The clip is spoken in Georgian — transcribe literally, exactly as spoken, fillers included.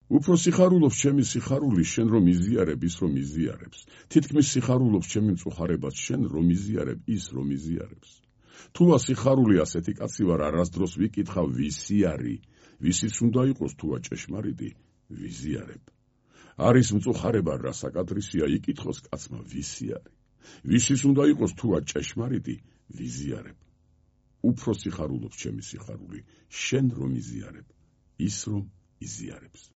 უფრო სიხარულობს ჩემი სიხარული შენ რომ იზიარებ ის რომ იზიარებს. თითქმის სიხარულობს ჩემი მწუხარებაც შენ რომ იზიარებ ის რომ იზიარებს. თუა სიხარული ასეთი კაცი ვარ არასდროს ვიკითხავ ვისი არი, ვისიც უნდა იყოს თუა ჭეშმარიტი ვიზიარებ. არის მწუხარება რა საკადრისია იკითხოს კაცმა ვისი არის. ვისიც უნდა იყოს თუა ჭეშმარიტი ვიზიარებ. უფრო სიხარულობს ჩემი სიხარული შენ რომ იზიარებ ის რომ იზიარებს.